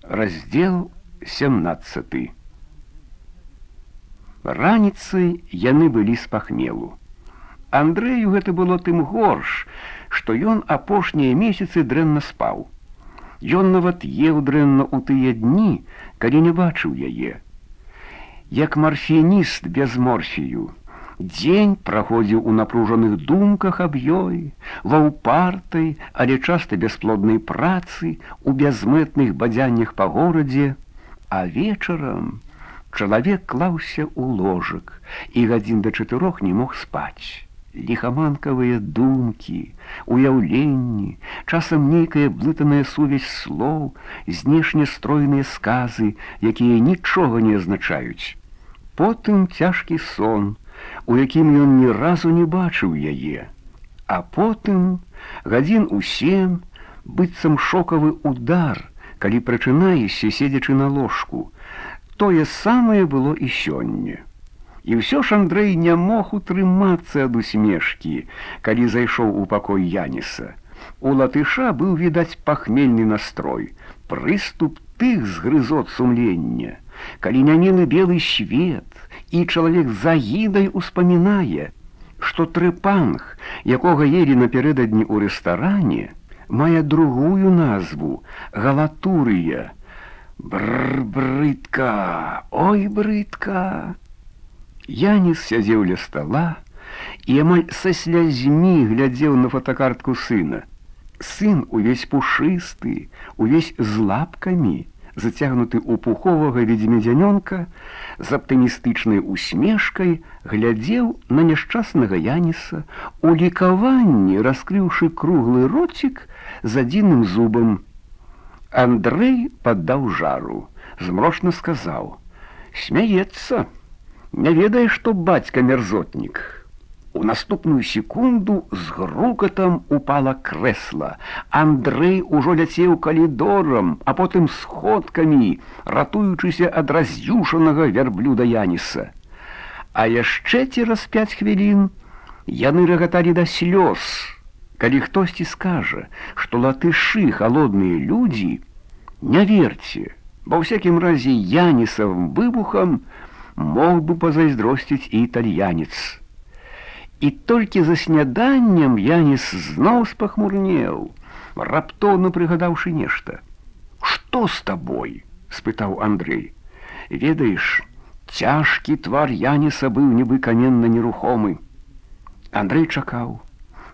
Раздзел 17. Раніцай яны былі з пахмелу. Андрэю гэта было тым горш, што ён апошнія месяцы дрэнна спаў. Ён нават еў дрэнна ў тыя дні, калі не бачыў яе. Як марфініст без морфію, дзень праходзіў у напружаных думках аб ёй, ва ўпартай, але часта бясплоднай працы, у бязмэтных бадзяннях па горадзе, а вечарам чалавек клаўся ў ложак і гадзін да 4 не мог спаць. Ліхаманкавыя думкі, уяўленні, часам нейкая блытаная сувязь слоў, знешне стройныя сказы, якія нічога не азначаюць. Потым цяжкі сон, у якім ён ні разу не бачыў яе. А потым гадзін у 7, быццам шокавы удар, калі прачынаешся, седзячы на ложку. Тое самае было і сёння. І ўсё ж Андрэй не мог утрымацца ад усмешкі, калі зайшоў у пакой Яніса. У латыша быў відаць пахмельны настрой, прыступ тых згрызот сумлення, калі нямелы белы свет, і чалавек з агідай успамінае, што трэпанг, якога елі напярэдадні ў рэстаране, мае другую назву — галатурыя. Брыдка, ой, брыдка. Яніс сядзеў ля стала і амаль са слязьмі глядзеў на фотакартку сына. Сын увесь пушысты, увесь з лапкамі, зацягнуты ў пуховага ведзьмедзянёнка, з аптымістычнай усмешкай глядзеў на няшчаснага Яніса, у лікаванні раскрыўшы круглы роцік з адзіным зубам. Андрэй паддаў жару, змрочна сказаў: «Смяецца, не ведае, што бацька мерзотнік». У наступную секунду з грукатам упала крэсла. Андрэй ужо ляцеў калідорам, а потым сходкамі, ратуючыся ад раз'юшанага вярблюда Яніса. А яшчэ цераз 5 хвілін яны рагаталі да слёз. Калі хтосьці скажа, што латышы халодныя людзі, не верце, ва ўсякім разе Янісавым выбухам мог бы пазайздросціць і італьянец. І толькі за сняданнем Яніс зноў спахмурнеў, раптоўна прыгадаўшы нешта. «Што з табой?» — спытаў Андрэй. Ведаеш, цяжкі твар Яніса быў нібы каменна нерухомы. Андрэй чакаў.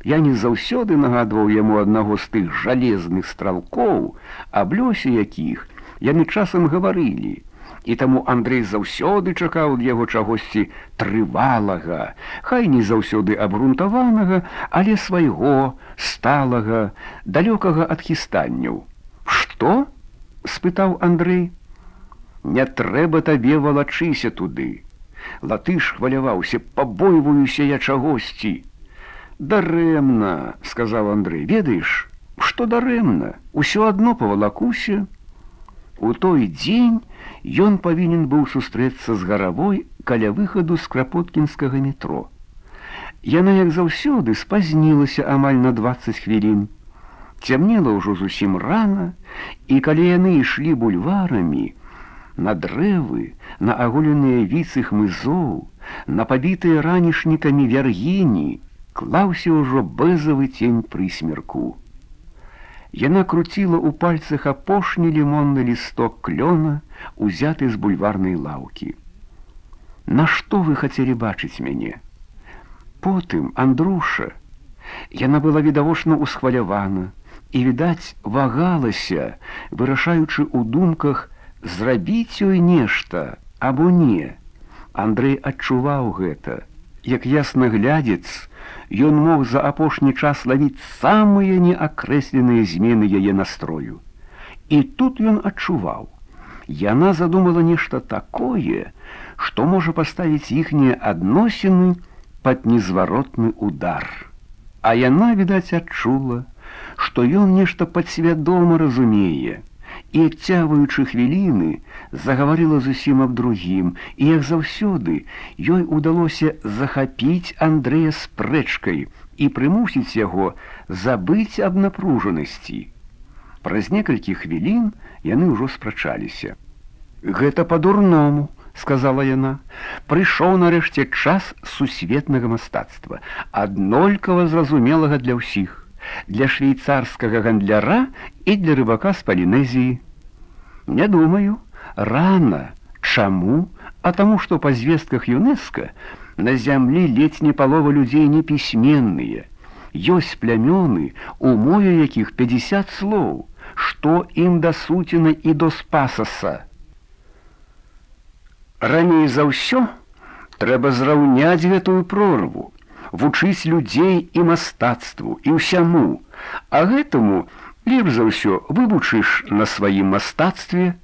Яніс заўсёды нагадваў яму аднаго з тых жалезных стралкоў, аб лёсе якіх яны часам гаварылі. І таму Андрэй заўсёды чакаў ад яго чагосьці трывалага, хай не заўсёды абгрунтаванага, але свайго, сталага, далёкага ад хістанняў. «Што?» — спытаў Андрэй. «Не трэба табе валачыся туды». Латыш хваляваўся: «Пабойваюся я чагосьці». «Дарэмна», — сказаў Андрэй. «Ведаеш, што дарэмна? Усё адно павалакуся». У той дзень ён павінен быў сустрэцца з Гаравой каля выхаду з крапоткінскага метро. Яна, як заўсёды, спазнілася амаль на 20 хвілін. Цямнела ўжо зусім рана, і калі яны ішлі бульварамі, на дрэвы, на аголеныя віцы хмызоў, на пабітыя ранішнікамі вяргіні, клаўся ўжо бэзавы цень прысмерку. Яна круціла ў пальцах апошні лімонны лісток клёна, узяты з бульварнай лаўкі. «Нашто вы хацелі бачыць мяне?» Потым, Андруша. Яна была відавочна усхвалявана і, відаць, вагалася, вырашаючы ў думках, зрабіць ёй нешта або не. Андрэй адчуваў гэта. Як яснаглядзец, ён мог за апошні час лавіць самыя неакрэсленыя змены яе настрою. І тут ён адчуваў. Яна задумала нешта такое, што можа паставіць іхнія адносіны пад незваротны удар. А яна, відаць, адчула, што ён нешта падсвядома разумее, і, адцягваючы хвіліны, загаварыла зусім аб другім, і, як заўсёды, ёй удалося захапіць Андрэя спрэчкай і прымусіць яго забыць аб напружанасці. Праз некалькі хвілін яны ўжо спрачаліся. «Гэта па-дурному», — сказала яна. «Прыйшоў нарэшце час сусветнага мастацтва, аднолькава зразумелага для ўсіх, для швейцарскага гандляра і для рыбака з Палінезіі». «Не думаю. Рана. Чаму? А таму, што па звестках ЮНЕСКО на зямлі ледзь не палова людзей непісьменныя. Ёсць плямёны, у мове якіх 50 слоў, што ім да суціна і до спасаса. Раней за ўсё трэба зраўняць гэтую прорву, вучыць людзей і мастацтву, і ўсяму, а гэтаму лепш за ўсё вывучыш на сваім мастацтве.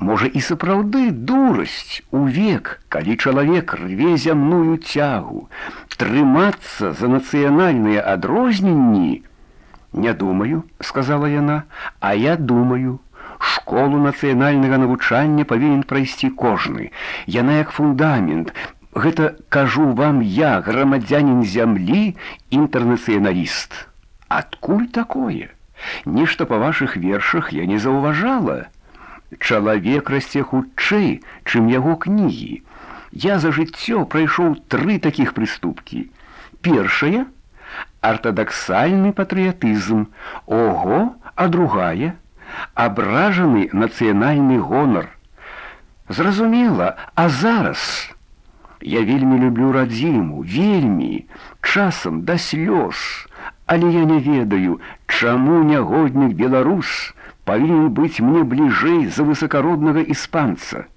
Можа і сапраўды дурасць у век, калі чалавек рве зямную цягу, трымацца за нацыянальныя адрозненні. «Не думаю», — сказала яна, — «а я думаю. Школу нацыянальнага навучання павінен прайсці кожны. Яна як фундамент. Гэта кажу вам я, грамадзянін зямлі, інтэрнацыяналіст. Адкуль такое? Нешта па вашых вершах я не заўважала. Чалавек расце хутчэй, чым яго кнігі. Я за жыццё прайшоў 3 такіх прыступкі. Першая — артадаксальны патрыятызм. Ого, а другая — абражаны нацыянальны гонар. Зразумела, а зараз... Я вельмі люблю радзіму, вельмі, часам да слёз, але я не ведаю, чаму нягоднік беларус павінен быць мне бліжэй за высакароднага іспанца».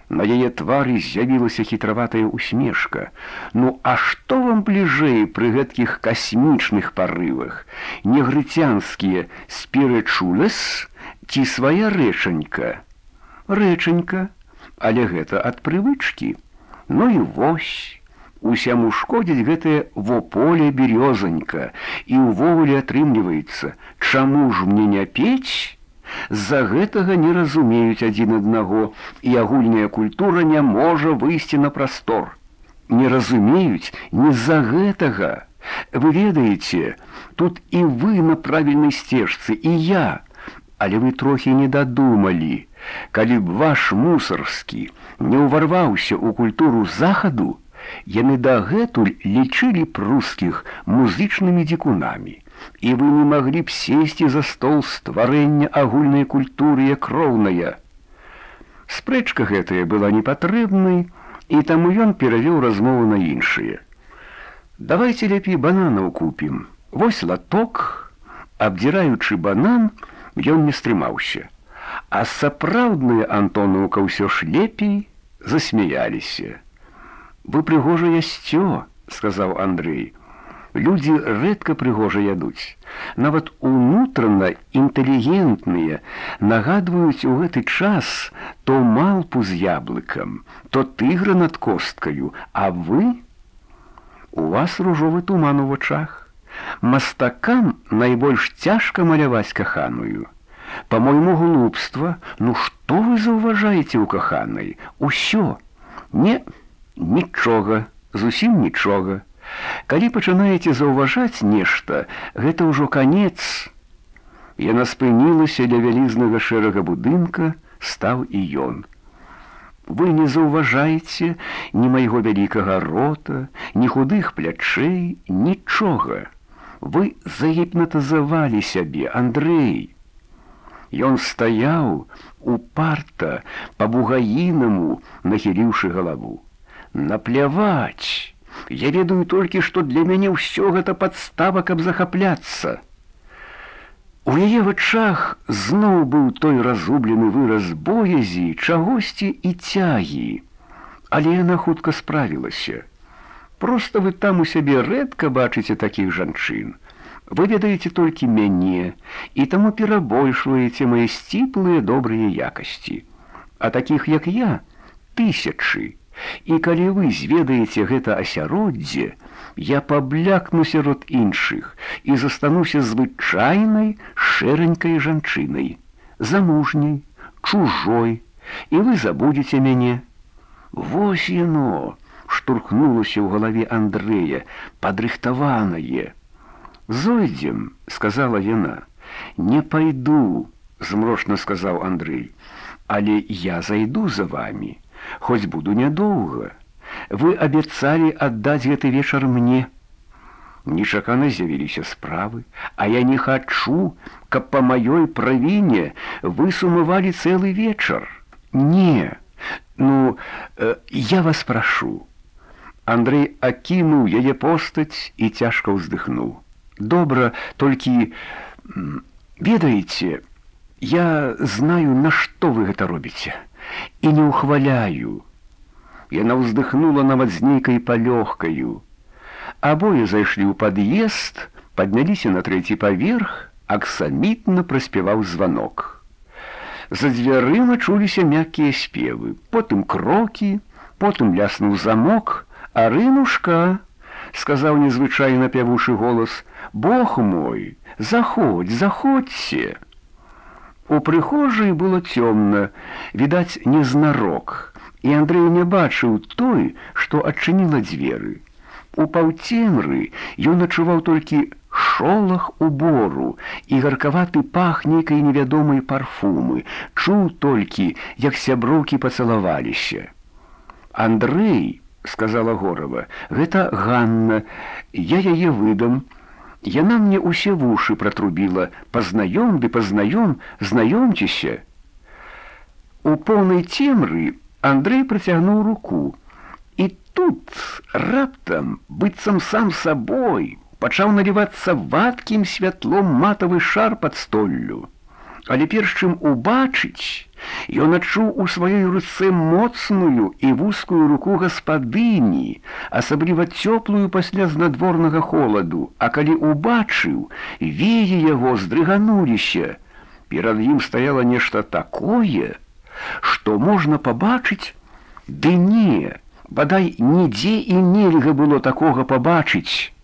На яе твары з'явілася хітраватая усмешка. «Ну, а што вам бліжэй пры гэткіх касмічных парывах? Негрыцянскія спірычулес ці свая рэчанька?» «Рэчанька, але гэта ад прывычкі. Ну і вось, усяму шкодзіць гэтае вополе бярёзанька, і ўвогуле атрымліваецца, чаму ж мне не пець? З-за гэтага не разумеюць адзін аднаго, і агульная культура не можа выйсці на прастор. Не разумеюць не з-за гэтага. Вы ведаеце, тут і вы на правільнай сцежцы, і я. Але вы трохі не дадумалі. Калі б ваш мусарскі не ўварваўся ў культуру захаду, яны дагэтуль лічылі б рускіх музычнымі дзікунамі, і вы не маглі б сесці за стол стварэння агульнай культуры як роўная». Спрэчка гэтая была непатрэбнай, і таму ён перавёў размову на іншае. «Давайте лепей бананаў купім. Вось латок». Абдзіраючы банан, ён не стрымаўся. А сапраўдная Антонаўка ўсё ж лепей засмяяліся. «Вы прыгожа ясцё», — сказаў Андрэй. «Людзі рэдка прыгожа ядуць. Нават унутрана інтэлігентныя нагадваюць у гэты час то малпу з яблыкам, то тыгра над косткаю, а вы? У вас ружовы туман у вачах. Мастакам найбольш цяжка маляваць каханую. По-мойму, глупства. Ну што вы заўважаеце ў каханай? Усё. Нічога, зусім нічога. Калі пачынаеце заўважаць нешта, гэта ўжо канец». Яна спынілася ля вялізнага шэрага будынка, стаў і ён. «Вы не заўважаеце ні майго вялікага рота, ні худых плячэй, нічога. Вы загіпнатызавалі сябе, Андрэй». Ён стаяў упарта, па-бугаінаму, нахіліўшы галаву. «Напляваць! Я ведаю толькі, што для мяне ўсё гэта падстава, каб захапляцца». У яе вачах зноў быў той разублены выраз боязі, чагосьці і цягі. Але яна хутка справілася. «Проста вы там у сябе рэдка бачыце такіх жанчын. Вы ведаеце толькі мяне, і таму перабольшваеце мае сціплыя добрыя якасці. А такіх, як я, тысячы. І калі вы зведаеце гэта асяроддзе, я паблякну сярод іншых і застануся звычайнай шэранькай жанчынай, замужняй, чужой, і вы забудзеце мяне». Вось яно штурхнулася ў галаве Андрэя, падрыхтаванае. «Зойдзем», — сказала яна. Не пойду, змрочна сказаў Андрэй. Але я зайду за вами, хоць буду нядоўга. Вы абяцалі аддаць гэты вечар мне. Нечакана з'явіліся справы, а я не хачу, каб па маёй правіне вы сумавалі цэлы вечар. Не, я вас прашу. Андрэй акінуў яе постаць і цяжка ўздыхнуў. Добра, толькі, ведаеце, я знаю, на што вы гэта робіце, і не ўхваляю. Яна ўздыхнула нават з нейкай палёгкаю. Абое зайшлі ў пад'езд, падняліся на 3-й паверх, аксамітна праспяваў званок. За дзвярыма чуліся мяккія спевы, потым крокі, потым ляснуў замок. «Арынушка», — сказаў незвычайна пявучы голас, — «Бог мой, заходь, заходзьце». У прыхожай было цёмна, відаць, незнарок, і Андрэй не бачыў той, што адчыніла дзверы. У паўцемры ён адчуваў толькі шолах убору і гаркаваты пах нейкай невядомай парфумы, чуў толькі, як сяброўкі пацалаваліся. «Андрэй», — сказала Горава, — «гэта Ганна, я яе выдам. Яна мне ўсе вушы пратрубіла. Пазнаём ды пазнаём, знаёмцеся». У поўнай цемры Андрэй працягнуў руку. І тут раптам, быццам сам сабой, пачаў налівацца вадкім святлом матавы шар пад столлю. Але перш чым убачыць, ён адчуў у сваёй руцэ моцную і вузкую руку гаспадыні, асабліва цёплую пасля знадворнага холаду, а калі убачыў, веі яго здрыгануліся. Перад ім стаяла нешта такое, што можна пабачыць, ды не, бадай нідзе і нельга было такога пабачыць.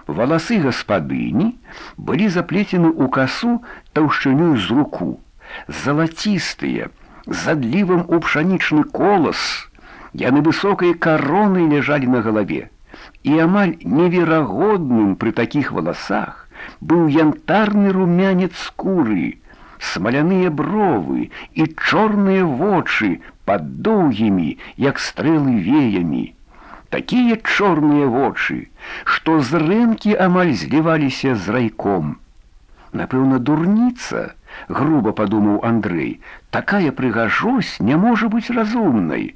Валасы гаспадыні былі заплецены ў касу таўшчынёй з руку, залацістыя, з адлівам у пшанічны колас. Яны высокай каронай ляжалі на галаве, і амаль неверагодным пры такіх валасах быў янтарны румянец скуры, смаляныя бровы і чорныя вочы пад доўгімі, як стрэлы, веямі. Такія чорныя вочы, што зрэнкі амаль зліваліся з райком. Напэўна, дурніца, груба падумаў Андрэй, такая прыгажосць не можа быць разумнай.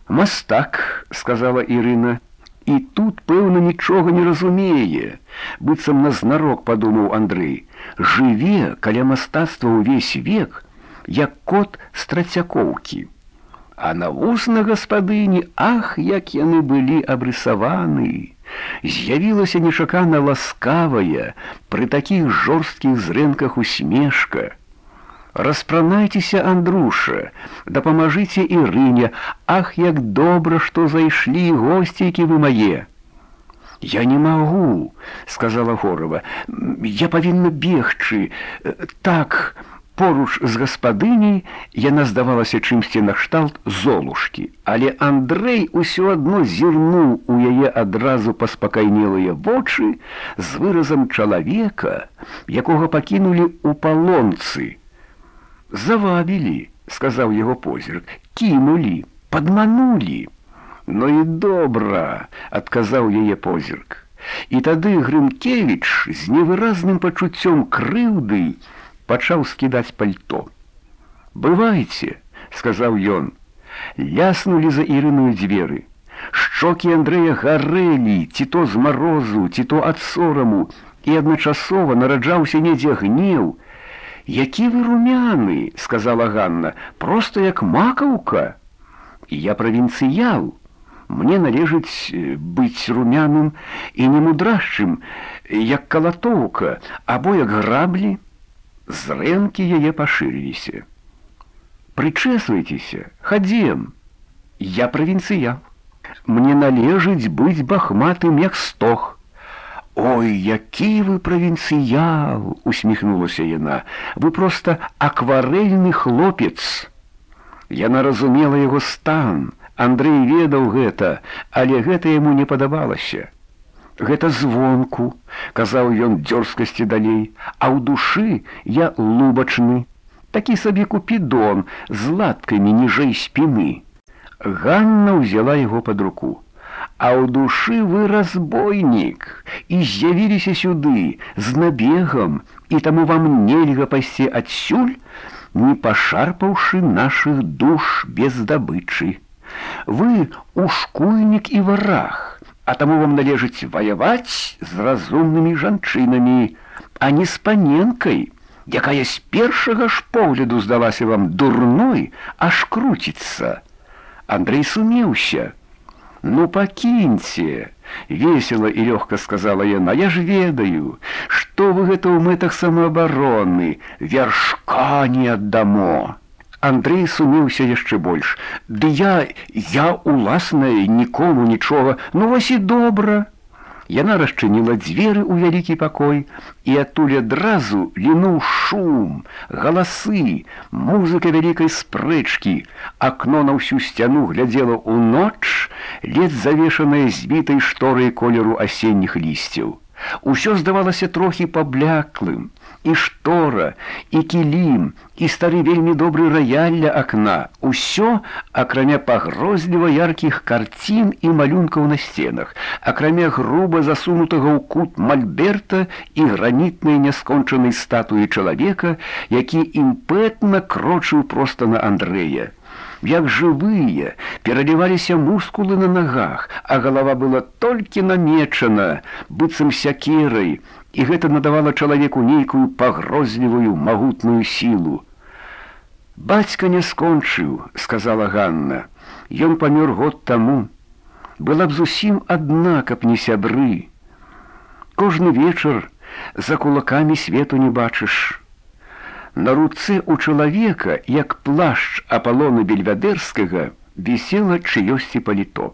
«Мастак», — сказала Ірына, і тут, пэўна, нічога не разумее, быццам назнарок падумаў Андрэй, жыве каля мастацтва ўвесь век, як кот з Трацякоўкі. А на вусна гаспадыні, ах, як яны былі абрысаваны! З'явілася нечакана ласкавая, пры такіх жорсткіх зрэнках усмешка. «Распранайцеся, Андруша, дапамажыце Ірыне, ах, як добра, што зайшлі госцейкі вы мае!» «Я не магу», — сказала Горава, — «я павінна бегчы, так...» Поруч з гаспадыняй яна здавалася чымсьці накшталт Золушкі, але Андрэй усё адно зірнуў у яе адразу паспакайнелыя вочы з выразам чалавека, якога пакінулі ў палонцы. «Завабілі», — сказаў яго позірк, — «кінулі, падманулі». «Ну і добра», — адказаў яе позірк. І тады Грынкевіч з невыразным пачуццём крыўды пачаў скідаць пальто. «Бывайце», — сказаў ён. Ляснулі за Ірыною дзверы. Шчокі Андрэя гарэлі, ці то з марозу, ці то ад сораму, і адначасова нараджаўся недзе гнеў. «Які вы румяны», — сказала Ганна, — «проста як макаўка». «Я правінцыял. Мне належыць быць румяным і немудрашчым, як калатоўка, або як граблі». Зрэнкі яе пашырыліся. «Прычэсвайцеся, хадзем. Я правінцыял. Мне належыць быць бахматым, як стог». «Ой, які вы правінцыял!» — усміхнулася яна. «Вы проста акварэльны хлопец». Яна разумела яго стан. Андрэй ведаў гэта, але гэта яму не падабалася. Гэта звонку, казаў ён дзёрзкасці далей, а ў душы я лубачны, такі сабе купідон з латкамі ніжэй спіны. Ганна ўзяла яго пад руку. А ў душы вы разбойнік, і з'явіліся сюды з набегам, і таму вам нельга пайсці адсюль, не пашарпаўшы нашых душ без здабычы. Вы ушкуйнік і вараг, а таму вам належыць ваяваць з разумнымі жанчынамі, а не з паненкай, якая з першага ж погляду здалася вам дурной, аж круціцца. Андрэй сумеўся. «Ну, пакіньце!» — весела і лёгка сказала яна. «Я ж ведаю, што вы гэта ў мэтах самаабароны, вяршка не аддамо!» Андрэй сумеўся яшчэ больш. «Ды я уласнае нікому нічога, ну вось і добра!» Яна расчыніла дзверы ў вялікі пакой, і адтуль адразу лінуў шум, галасы, музыка вялікай спрэчкі. Акно на ўсю сцяну глядзела ў ноч, ледзь завешанае збітай шторай колеру асенніх лісцяў. Усё здавалася трохі пабляклым, і штора, і кілім, і стары вельмі добры раяль ля акна. Усё, акрамя пагрозліва яркіх карцін і малюнкаў на сценах, акрамя груба засунутага ў кут мальберта і гранітнай няскончанай статуі чалавека, які імпэтна крочыў проста на Андрэя. Як жывыя, пераліваліся мускулы на нагах, а галава была толькі намечана, быццам сякерай, і гэта надавала чалавеку нейкую пагрозлівую магутную сілу. «Бацька не скончыў», — сказала Ганна. «Ён памёр год таму. Была б зусім адна, каб не сябры. Кожны вечар за кулакамі свету не бачыш». На руцэ ў чалавека, як плашч Апалона Бельвядэрскага, вісела чыёсьці паліто.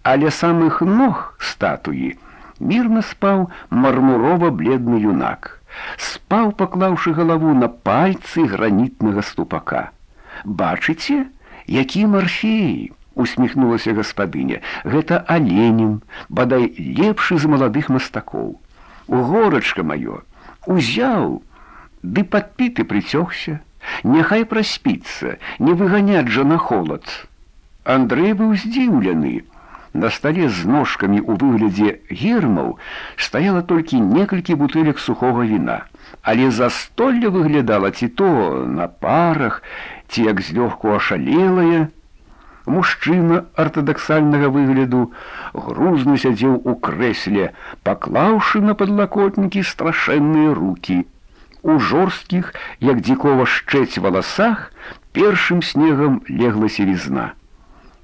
А ля самых ног статуі мірна спаў мармурова-бледны юнак. Спаў, паклаўшы галаву на пальцы гранітнага ступака. «Бачыце, які Марфей!» — усміхнулася гаспадыня. «Гэта Аленін, бадай лепшы з маладых мастакоў. Горачка маё, узяў, ды падпіты прыцёгся, няхай праспіцца, не выганяць жа на холад». Андрэй быў здзіўлены. На стале з ножкамі ў выглядзе гермаў стаяла толькі некалькі бутэлек сухога віна, але застолле выглядала ці то на парах, ці як злёгку ашалелае. Мужчына артадаксальнага выгляду грузна сядзеў у крэсле, паклаўшы на падлакотнікі страшэнныя рукі. У жорсткіх, як дзікова шчэць валасах, першым снегам легла сівізна.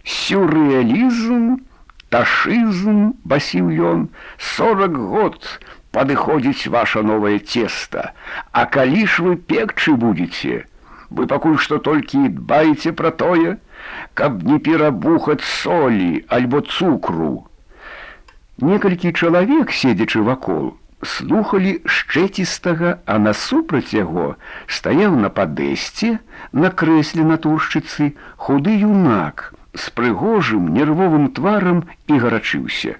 «Сюррэалізм, ташызм», — басіў ён, «40 год падыходзіць ваша новае цеста, а калі ж вы пекчы будзеце? Вы пакуль што толькі дбаеце пра тое, каб не перабухаць солі альбо цукру». Некалькі чалавек, седзячы вакол, слухалі шчэцістага, а насупраць яго стаяў на падэсце, на крэсле натуршчыцы, худы юнак з прыгожым нервовым тварам і гарачыўся.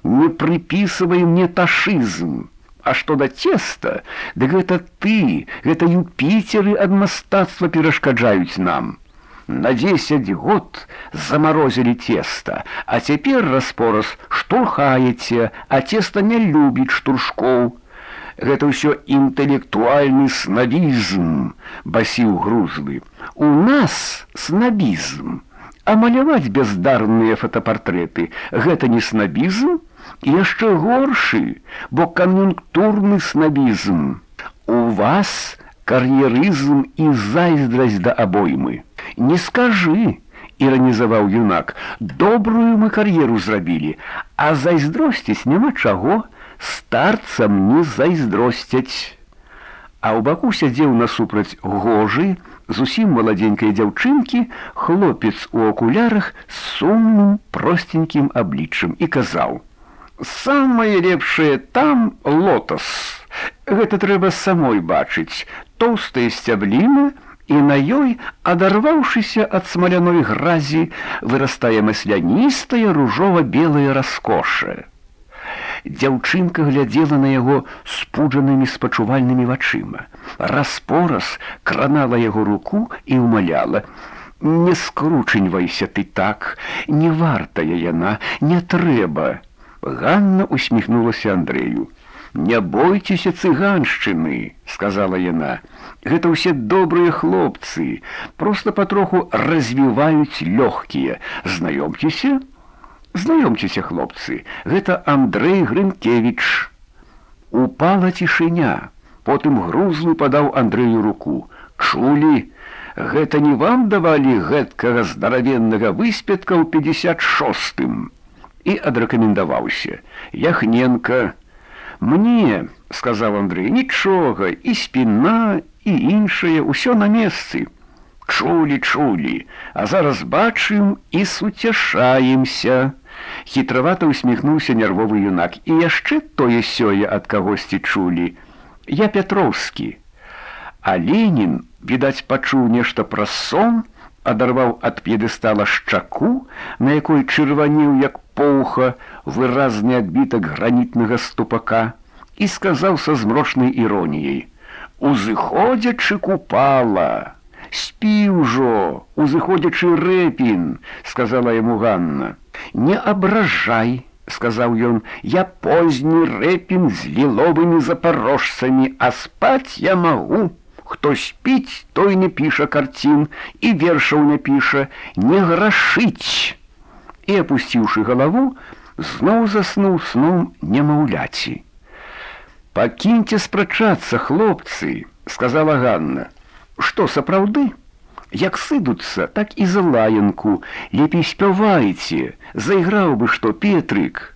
«Не прыпісывай мне ташызм. А што да цеста, дык гэта ты, гэта Юпіцеры ад мастацтва перашкаджаюць нам. На 10 год замарозілі цеста, а цяпер раз-пораз штурхаеце, а цеста не любіць штуршкоў. Гэта ўсё інтэлектуальны снабізм», — басіў грузлы. «У нас снабізм, а маляваць бездарныя фотапартрэты — гэта не снабізм? Яшчэ горшы, бо кан'юнктурны снабізм. У вас кар'ерызм і зайздрасць да абоймы. Не скажы», — іранізаваў юнак, «добрую мы кар'еру зрабілі, а зайздросціць няма чаго, старцам не зайздросцяць». А ў баку сядзеў насупраць гожы, зусім маладзенькай дзяўчынкі, хлопец у акулярах з сумным простенькім абліччам і казаў: «Самае лепшае там лотас. Гэта трэба самой бачыць, тоўстая сцябліна, і на ёй, адарваўшыся ад смаляной гразі, вырастае масляністая ружова-белая раскоша. Дзяўчынка глядзела на яго спуджанымі спачувальнымі вачыма. Раз-пораз кранала яго руку і ўмаляла: «Не скручаньвайся ты так, не вартая яна, не трэба». Ганна усміхнулася Андрэю. «Не бойцеся цыганшчыны», — сказала яна. «Гэта ўсе добрыя хлопцы, проста патроху развіваюць лёгкія. Знаёмцеся?» «Знаёмцеся, хлопцы, гэта Андрэй Грынкевіч». Упала цішыня. Потым грузлы падаў Андрэю руку. «Чулі? Гэта не вам давалі гэткага здаравеннага выспетка ў 56-м?» І адрэкамендаваўся. «Яхненка». «Мне, — сказаў Андрэй, — нічога, і спіна, і іншае, усё на месцы». «Чулі, а зараз бачым і суцяшаемся». Хітравата усміхнуўся нервовы юнак. «І яшчэ тое-сёе ад кагосьці чулі. Я Пятроўскі». А Ленін, відаць, пачуў нешта пра сон, адарваў ад п'едэстала шчаку, на якой чырванеў, як поўха, выразны адбітак гранітнага ступака, і сказаў са змрочнай іроніяй: «Узыходзячы Купала». «Спі ўжо, узыходзячы Рэпін», — сказала яму Ганна. «Не абражай», — сказаў ён, — «я позні Рэпін з ліловымі запарожцамі, а спаць я магу. Хто спіць, той не піша карцін і вершаў не піша, не грашыць». І, апусціўшы галаву, зноў заснуў сном немаўляці. «Пакіньце спрачацца, хлопцы», — сказала Ганна. «Што, сапраўды? Як сыдуцца, так і за лаянку. Лепей спявайце, зайграў бы што Петрык».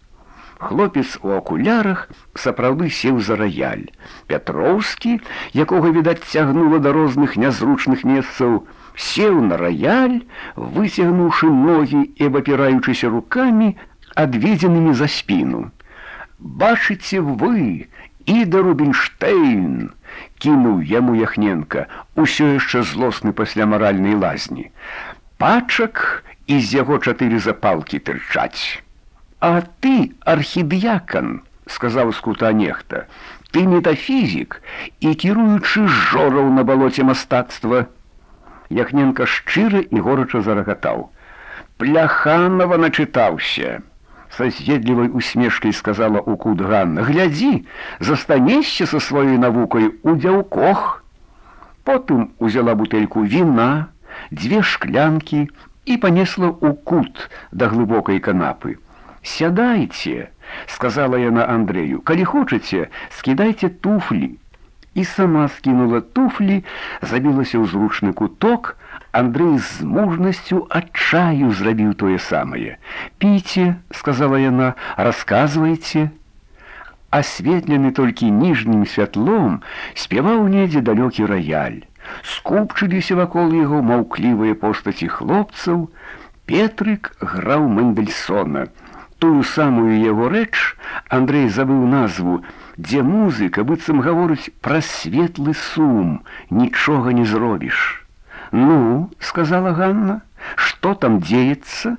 Хлопец у акулярах сапраўды сеў за раяль. Пятроўскі, якога, відаць, цягнула да розных нязручных месцаў, сеў на раяль, выцягнуўшы ногі і абапіраючыся рукамі, адведзенымі за спіну. «Бачыце вы, Іда Рубінштейн!» — кінуў яму Яхненка, усё яшчэ злосны пасля маральнай лазні. «Пачак і з яго 4 запалкі тырчаць». «А ты, архідыякан, — сказаў з кута нехта, — ты метафізік і кіруючы жораў на балоце мастацтва». Яхненка шчыра і горача зарагатаў. «Пляханова начытаўся», — са з'едлівай усмешкай сказала ў кут Ганна. «Глядзі, застанешся са сваёй навукай у дзяўкох». Потым узяла бутэльку віна, 2 шклянкі і панесла ў кут да глыбокай канапы. «Сядайце», — сказала яна Андрэю, — «калі хочаце, скідайце туфлі». І сама скінула туфлі, забілася ў зручны куток. Андрэй з мужнасцю адчаю зрабіў тое самае. «Піце», — сказала яна, — «расказвайце». Асветлены толькі ніжнім святлом спяваў недзе далёкі раяль. Скупчыліся вакол яго маўклівыя постаці хлопцаў. Петрык граў Мэндельсона. Тую самую яго рэч, Андрэй забыў назву, дзе музыка быццам гаворыць пра светлы сум, нічога не зробіш. «Ну, — сказала Ганна, — што там дзеецца?»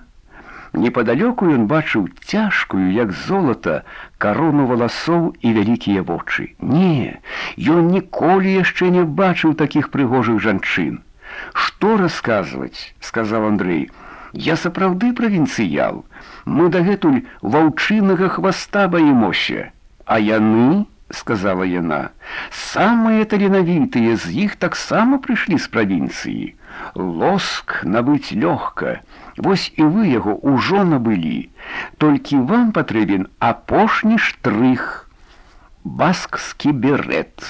Непадалёку ён бачыў цяжкую, як золата, карону валасоў і вялікія вочы. Не, ён ніколі яшчэ не бачыў такіх прыгожых жанчын. «Што расказваць?» — сказаў Андрэй. «Я сапраўды правінцыял. Мы дагэтуль ваўчынага хваста баімося». «А яны, — сказала яна, — самыя таленавітыя з іх таксама прыйшлі з правінцыі. Лоск набыць лёгка. Вось і вы яго ўжо набылі. Толькі вам патрэбен апошні штрых. Баскскі берет.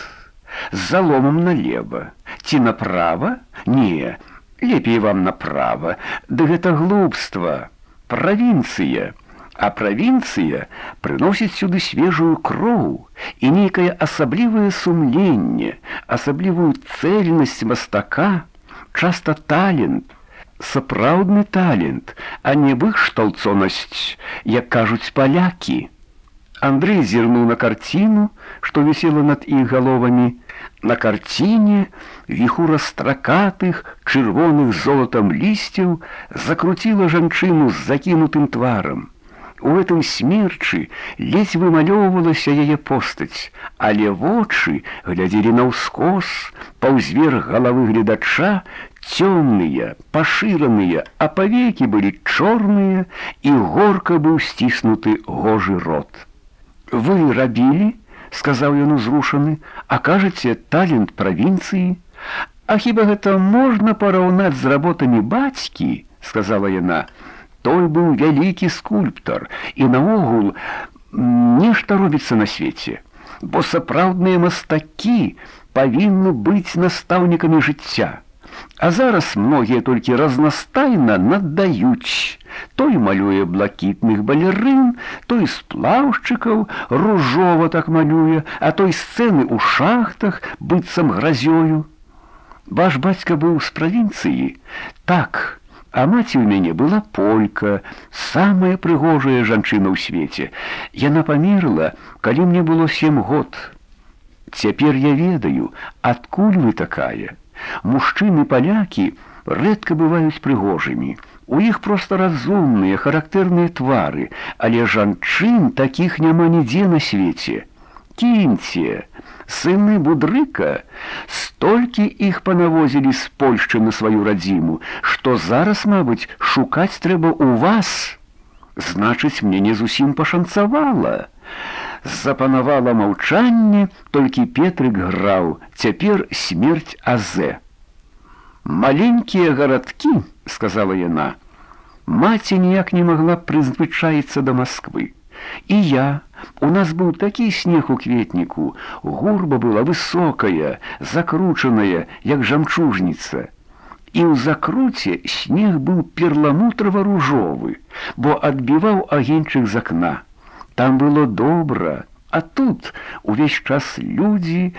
З заломам налева. Ці направа? Не, лепей вам направа. Да гэта глупства. Правінцыя. А правінцыя прыносіць сюды свежую кроў і нейкае асаблівае сумленне, асаблівую цэльнасць мастака, часта талент, сапраўдны талент, а не вышталцонасць, як кажуць палякі. Андрэй зірнуў на карціну, што вісела над іх галовамі. На карціне віхура стракатых, чырвоных золатам лісцяў закруціла жанчыну з закінутым тварам. У гэтым смерчы ледзь вымалёўвалася яе постаць, але вочы глядзелі наўскос, паўзверх галавы гледача, цёмныя, пашыраныя, а павекі былі чорныя, і горка быў сціснуты гожы рот. «Вы рабілі?» — сказаў ён узрушаны. «А кажаце, талент правінцыі? А хіба гэта можна параўнаць з работамі бацькі?» — сказала яна. «Той быў вялікі скульптар, і наогул нешта робіцца на свеце, бо сапраўдныя мастакі павінны быць настаўнікамі жыцця. А зараз многія толькі разнастайна наддаюць. Той малюе блакітных балерын, той сплаўшчыкаў ружова так малюе, а той сцэны ў шахтах быццам гразёю. Ваш бацька быў з правінцыі?» «Так. А маці ў мяне была полька, самая прыгожая жанчына ў свеце. Яна памерла, калі мне было 7 год. Цяпер я ведаю, адкуль вы такая. Мужчыны-палякі рэдка бываюць прыгожымі. У іх проста разумныя, характэрныя твары, але жанчын такіх няма нідзе на свеце. Кіньце, сыны Будрыка, столькі іх панавозілі з Польшчы на сваю радзіму, што зараз, мабыць, шукаць трэба ў вас. Значыць, мне не зусім пашанцавала». Запанавала маўчанне, толькі Петрык граў, цяпер смерць Азе. «Маленькія гарадкі», — сказала яна. «Маці ніяк не магла прызвычаіцца да Масквы. І я, у нас быў такі снег у кветніку, гурба была высокая, закручаная, як жамчужніца. І ў закруце снег быў перламутрава-ружовы, бо адбіваў агеньчык з акна. Там было добра, а тут увесь час людзі,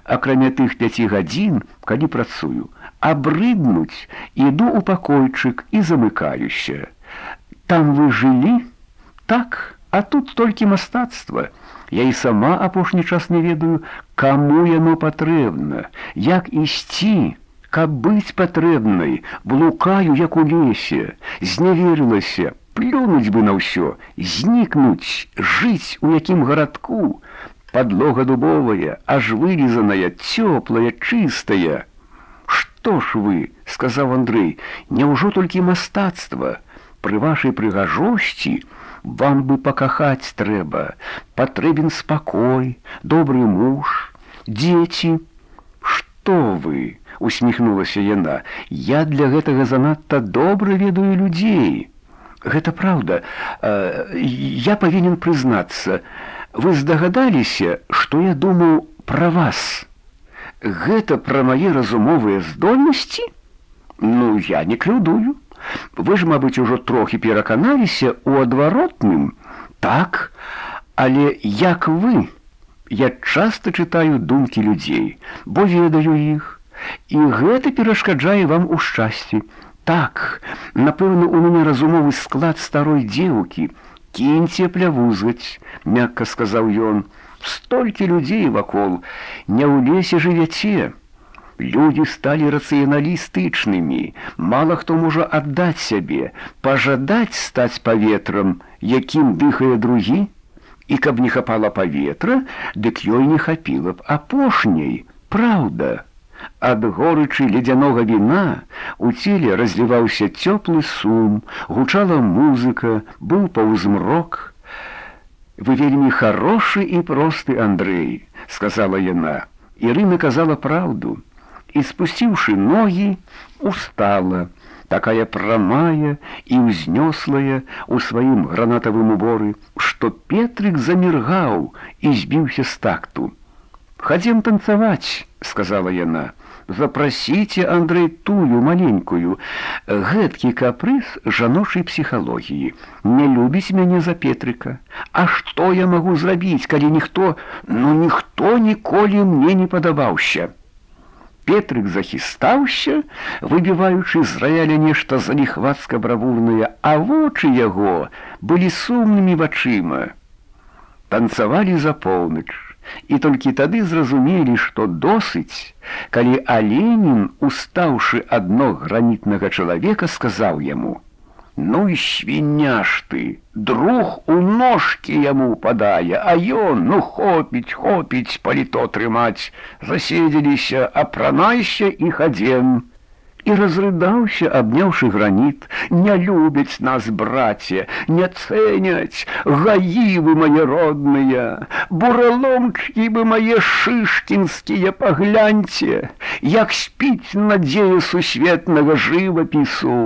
акрамя тых 5 гадзін, калі працую, абрыднуць, іду ў пакойчык і замыкаюся. Там вы жылі? Так, а тут толькі мастацтва. Я і сама апошні час не ведаю, каму яно патрэбна, як ісці, каб быць патрэбнай, блукаю, як у лесе, зневерылася, плюнуць бы на ўсё, знікнуць, жыць у якім гарадку. Падлога дубовая, аж вылізаная, цёплая, чыстая. «Што ж вы?» — сказаў Андрэй. «Няўжо толькі мастацтва? Пры вашай прыгажосці вам бы пакахаць трэба. Патрэбен спакой, добры муж, дзеці». «Што вы?» — усміхнулася яна. «Я для гэтага занадта добра ведаю людзей». «Гэта праўда. Я павінен прызнацца. Вы здагадаліся, што я думаў пра вас? Гэта пра мае разумовыя здольнасці? Ну, я не крыўдую. Вы ж, мабыць, ужо трохі пераканаліся ў адваротным. Так, але як вы? Я часта чытаю думкі людзей, бо ведаю іх. І гэта перашкаджае вам у шчасці. Так, напэўна, у мяне разумовы склад старой дзеўкі. Кіньце плявузгаць», — мякка сказаў ён. «Столькі людзей вакол, не ў лесе жывяце. Людзі сталі рацыяналістычнымі, мала хто можа аддаць сябе, пажадаць стаць паветрам, якім дыхае другі, і каб не хапала паветра, дык ёй не хапіла б апошняй, праўда». Ад горычы ледзянога віна у целе разліваўся цёплы сум, гучала музыка, быў паўзмрок. «Вы вельмі харошы і просты, Андрэй», — сказала яна. Ірына казала праўду. І, спусціўшы ногі, устала, такая прамая і ўзнёслая у сваім гранатавым уборы, што Петрык заміргаў і збіўся з такту. «Хадзем танцаваць», — сказала яна. «Запрасіце, Андрэй, тую маленькую. Гэткі капрыз жаночай псіхалогіі. Не любіць мяне за Петрыка. А што я магу зрабіць, калі ніхто ніколі мне не падабаўся?» Петрык захістаўся, выбіваючы з раяля нешта заліхвацка-бравурнае, а вочы яго былі сумнымі вачыма. Танцавалі за поўнач, і толькі тады зразумелі, што досыць, калі Аленін, устаўшы ад ног гранітнага чалавека, сказаў яму: Ну і свіня ж ты, друг у ножкі яму падае, а ён, ну хопіць паліто трымаць, заседзеліся, апранайся і хадзем. І разрыдаўся, абняўшы граніт. Не любяць нас, браце, не цэняць, гаі вы мае родныя, бураломчкі вы мае шышкінскія, пагляньце, як спіць надзея сусветнага жывапісу.